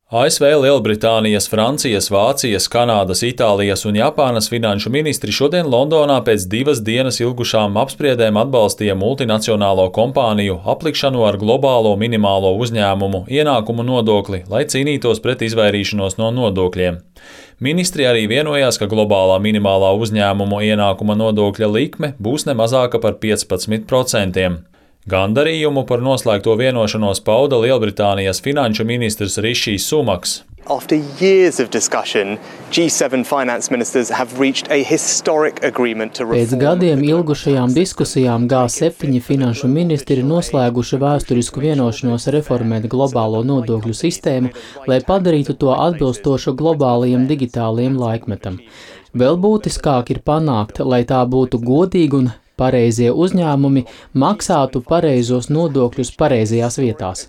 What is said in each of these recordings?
ASV, Lielbritānijas, Francijas, Vācijas, Kanādas, Itālijas un Japānas finanšu ministri šodien Londonā pēc 2 dienas ilgušām apspriedēm atbalstīja multinacionālo kompāniju aplikšanu ar globālo minimālo uzņēmumu ienākumu nodokli, lai cīnītos pret izvairīšanos no nodokļiem. Ministri arī vienojās, ka globālā minimālā uzņēmumu ienākuma nodokļa likme būs ne mazāka par 15%. Gandarījumu par noslēgto vienošanos pauda Lielbritānijas finanšu ministrs Rišijs Sunaks. After years of discussion, G7 finance ministers have reached a historic agreement to reform. Pēc gadiem ilgušajām diskusijām G7 finanšu ministri ir noslēguši vēsturisku vienošanos reformēt globālo nodokļu sistēmu, lai padarītu to atbilstošu globālajiem digitālajiem laikmetam. Vēl būtiskāk ir panākt, lai tā būtu godīga un pareizie uzņēmumi maksātu pareizos nodokļus pareizajās vietās.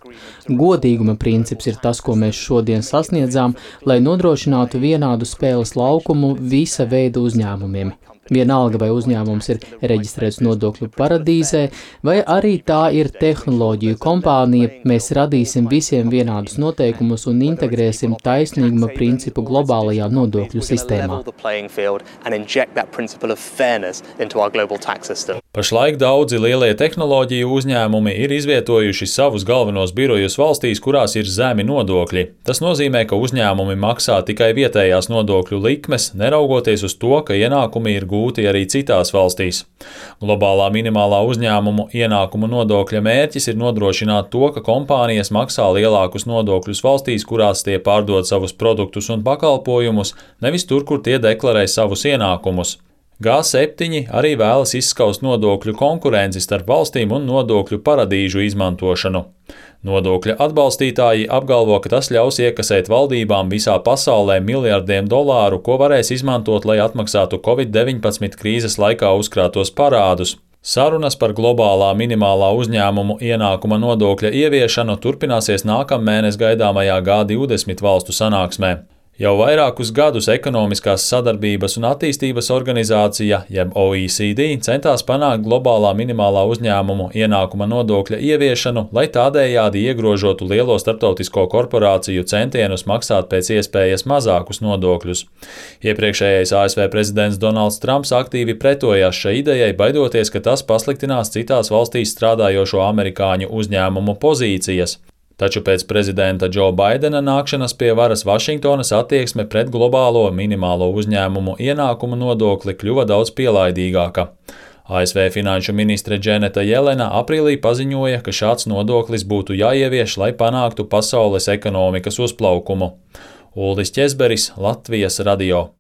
Godīguma princips ir tas, ko mēs šodien sasniedzām, lai nodrošinātu vienādu spēles laukumu visa veida uzņēmumiem. Vienalga, vai uzņēmums ir reģistrēts nodokļu paradīzē, vai arī tā ir tehnoloģiju kompānija, mēs radīsim visiem vienādus noteikumus un integrēsim taisnīguma principu globālajā nodokļu sistēmā. Pašlaik daudzi lielie tehnoloģiju uzņēmumi ir izvietojuši savus galvenos birojus valstīs, kurās ir zemi nodokļi. Tas nozīmē, ka uzņēmumi maksā tikai vietējās nodokļu likmes, neraugoties uz to, ka ienākumi ir gūti arī citās valstīs. Globālā minimālā uzņēmumu ienākumu nodokļa mērķis ir nodrošināt to, ka kompānijas maksā lielākus nodokļus valstīs, kurās tie pārdod savus produktus un pakalpojumus, nevis tur, kur tie deklarē savus ienākumus. G7 arī vēlas izskaust nodokļu konkurenci starp valstīm un nodokļu paradīžu izmantošanu. Nodokļa atbalstītāji apgalvo, ka tas ļaus iekasēt valdībām visā pasaulē miljardiem dolāru, ko varēs izmantot, lai atmaksātu Covid-19 krīzes laikā uzkrātos parādus. Sarunas par globālā minimālā uzņēmumu ienākuma nodokļa ieviešanu turpināsies nākamnedēļ gaidāmajā G20 valstu sanāksmē. Jau vairākus gadus Ekonomiskās sadarbības un attīstības organizācija, jeb OECD, centās panākt globālā minimālā uzņēmumu ienākuma nodokļa ieviešanu, lai tādējādi iegrožotu lielo starptautisko korporāciju centienus maksāt pēc iespējas mazākus nodokļus. Iepriekšējais ASV prezidents Donalds Trumps aktīvi pretojās šai idejai, baidoties, ka tas pasliktinās citās valstīs strādājošo amerikāņu uzņēmumu pozīcijas. Taču pēc prezidenta Džo Baidena nākšanas pie varas Vašingtonas attieksme pret globālo minimālo uzņēmumu ienākumu nodokli kļuva daudz pielaidīgāka. ASV finanšu ministre Dženeta Jelena aprīlī paziņoja, ka šāds nodoklis būtu jāievieš, lai panāktu pasaules ekonomikas uzplaukumu. Uldis Ķezberis, Latvijas radio.